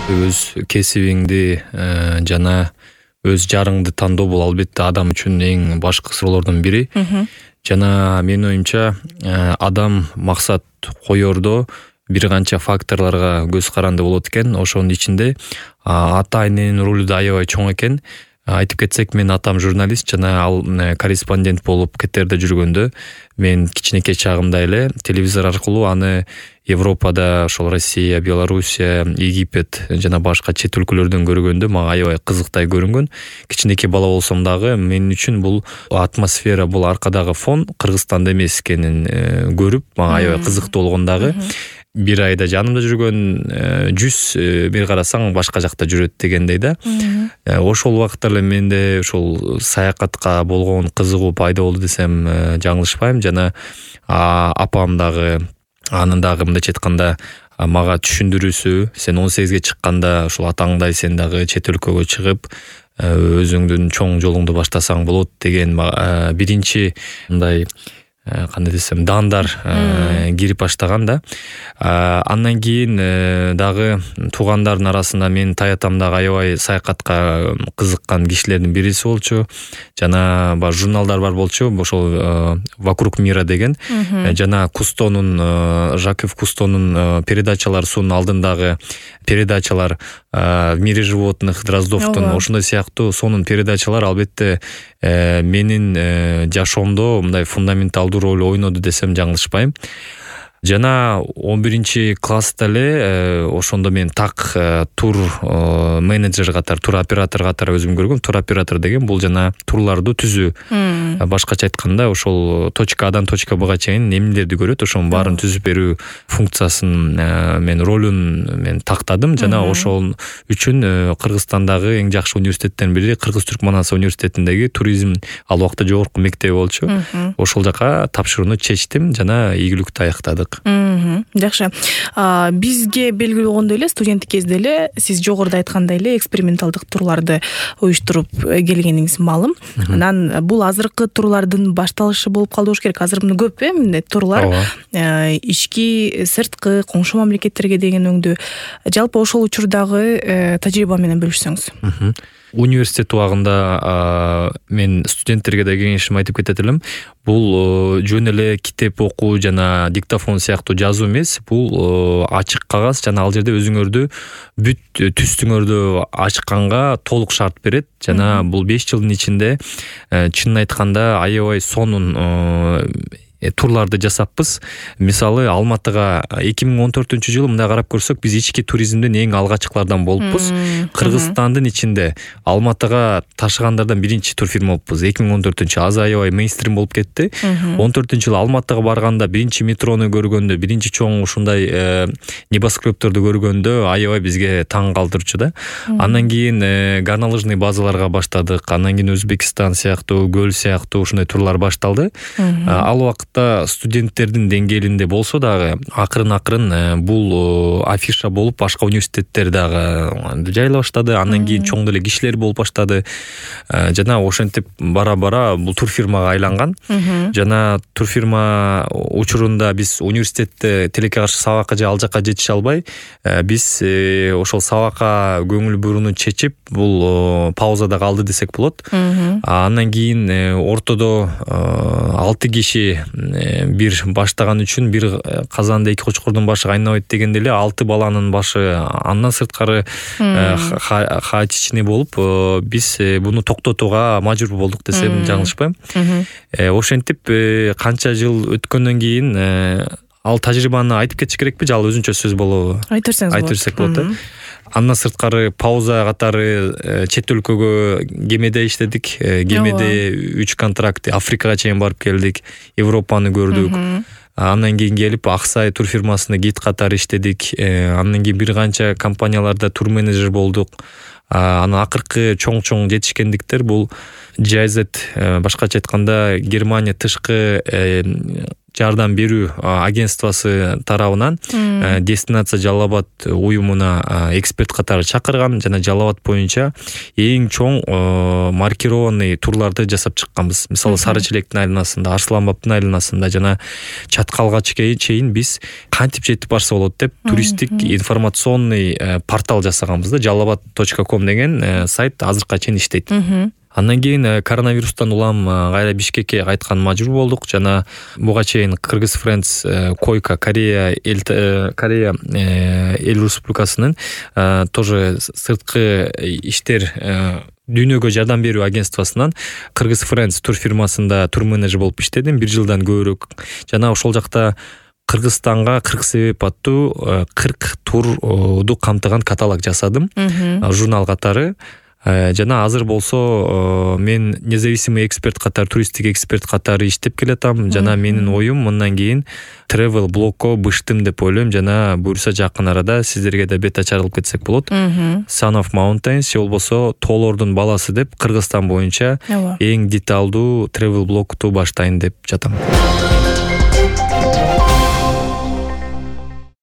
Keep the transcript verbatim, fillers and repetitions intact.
Өз кесибиңди жана өз жарыңды тандоо бул албетте адам үчүн эң башкы суроолордун бири. Жана менин оюмча адам максат коердо бир канча факторлорго көз каранды болот экен. Ошонун ичинде ата эненин ролу да аябай чоң экен. Айтып кетсек, мен атам журналист жана ал корреспондент болуп кетерде жүргөндө мен кичинекей чагымда эле телевизор аркылуу аны Европада, ошол Россия, Белоруссия, Египет жана башка чет өлкөлөрдөн көргөндө мага аябай кызыктай көрүнгөн. Кичинекей бала болсом дагы менин үчүн бул атмосфера, бул аркадагы фон Кыргызстанда эмес экенин көрүп, мага аябай кызыктуу болгон дагы. Бир айда жанымда жүргөн жүз бир карасаң башка жакта жүрөт дегендей да. Ошол убакытта эле менде ошол саякатка болгон кызыгуу пайда болду десем жаңылышпайм. Жана апам дагы анын дагы мындайча айтканда мага түшүндүрүүсү, сен он сегизге чыкканда ошол атаңдай сен дагы чет өлкөгө чыгып өзүңдүн чоң жолуңду баштасаң болот деген биринчи мындай кандай десем даандар кирип баштаган да. Андан кийин дагы туугандардын арасында менин таятам дагы аябай саякатка кызыккан кишилердин бириси болчу. Жана бар журналдар бар болчу, ошол Вокруг мира деген. Жана Кустонун, Жаков Кустонун передачаларынын алдындагы передачалар в мире животных Дроздовдун ошондой сыяктуу сонун передачалар албетте менин жашоомдо мындай фундаменталдуу роль ойноду десем жаңылышпайм. Жана он биринчи класста эле ошондо мен так тур менеджер катары, тур оператор катары өзүм көргөм. Тур оператор деген бул жана турларды түзүү. Башкача айтканда ошол точка Адан точка Бга чейин эмнелерди көрөт, ошонун баарын түзүп берүү функциясын мен ролун мен тактадым. Жана ошол үчүн Кыргызстандагы эң жакшы университеттердин бири Кыргыз-Түркманстан университетиндеги туризм ал убакта жогорку мектеби болчу. Ошол жака тапшырууну чечтим жана ийгиликтүү аяктадык. Жакшы. Бизге белгилүү болгондой эле студенттик кезде эле сиз жогоруда айткандай эле эксперименталдык турларды уюштуруп келгениңиз маалым. Анан бул азыркы турлардын башталышы болуп калды болуш керек. Азыр мына көп э мындай турлар ички, сырткы, коңшу мамлекеттерге деген өңдүү. Жалпы ошол учурдагы тажрыйба менен бөлүшсөңүз. Университет убагында мен студенттерге да кеңешим айтып кетет элем. Бул жөн эле китеп окуу жана диктофон сыяктуу жазуу эмес. Бул ачык кагаз жана ал жерде өзүңөрдү бүт түстүңөрдү ачканга толук шарт берет. Жана бул беш жылдын ичинде чынын айтканда аябай сонун турларды жасаппыз. Мисалы Алматыга эки миң он төртүнчү жылы мындай карап көрсөк, биз ички туризмдин эң алгачкылардан болуппуз. Кыргызстандын ичинде Алматыга ташыгандардан биринчи турфирма болуппуз. эки миң он төртүнчү аз аябай мейнстрим болуп кетти. он төртүнчү жылы Алматыга барганда биринчи метрону көргөндө, биринчи чоң ушундай небоскребторду көргөндө аябай бизге таң калтырчу да. Андан кийин горнолыжный базаларга баштадык. Андан кийин Өзбекстан сыяктуу, Көл сыяктуу ушундай турлар башталды. Ал убакта студенттердин деңгээлинде болсо дагы акырын-акырын бул афиша болуп башка университеттер дагы жайла баштады. Андан кийин чоң деле кишилер болуп баштады. Жана ошентип бара-бара бул турфирмага айланган. Жана турфирма учурунда биз университетте тилекке каршы сабакка же ал жака жетише албай, биз ошол сабакка көңүл бурууну чечип бул паузада калды десек болот. Андан кийин ортодо алты киши бир баштаган үчүн бир казанда эки кочкордун башы кайнабайт дегенде эле алты баланын башы андан сырткары хаотичный болуп, биз буну токтотууга мажбур болдук десем жаңылышпайм. Ошентип канча жыл өткөндөн кийин ал тажрыйбаны айтып кетиш керекпи же ал өзүнчө сөз болобу? Айтып берсеңиз болот. Айтып берсек болот. Андан сырткары пауза катары чет өлкөгө кемеде иштедик. Кемеде үч контракт Африкага чейин барып келдик, Европаны көрдүк. Андан кийин келип Аксай турфирмасында гид катары иштедик. Андан кийин бир канча компанияларда тур менеджер болдук. Анан акыркы чоң-чоң жетишкендиктер бул джи ай зет, башкача айтканда Германия тышкы жардам берүү агентствосы тарабынан Дестинация Жалал Абад уюмуна эксперт катары чакырган жана Жалал Абад боюнча эң чоң маркированный турларды жасап чыкканбыз. Мисалы Сары Челектин айланасында, Арсланбаптын айланасында жана Чаткалга чейин биз кантип жетип барса болот деп туристтик информационный портал жасаганбыз да. жалалабад точка ком деген сайт азыркыга чейин иштейт. Андан кийин коронавирустан улам кайра Бишкекке кайткан мажбур болдук жана буга чейин Кыргыз Friends Койка Корея эл Корея эл республикасынын тоже сырткы иштер дүйнөгө жардам берүү агентствосунан Кыргыз Friends тур фирмасында тур менеджер болуп иштедим бир жылдан көбүрөөк. Жана ошол жакта Кыргызстанга кырк себеп аттуу кырк турду камтыган каталог жасадым, журнал катары. Жана азыр болсо мен независимый эксперт катары, туристтик эксперт катары иштеп келатам. Жана менин оюм мындан кийин travel блогко быштым деп ойлойм. Жана буюрса жакын арада сиздерге да бет ачар кылып кетсек болот. Son of Mountains же болбосо Тоолордун баласы деп Кыргызстан боюнча эң деталдуу travel блогту баштайын деп жатам.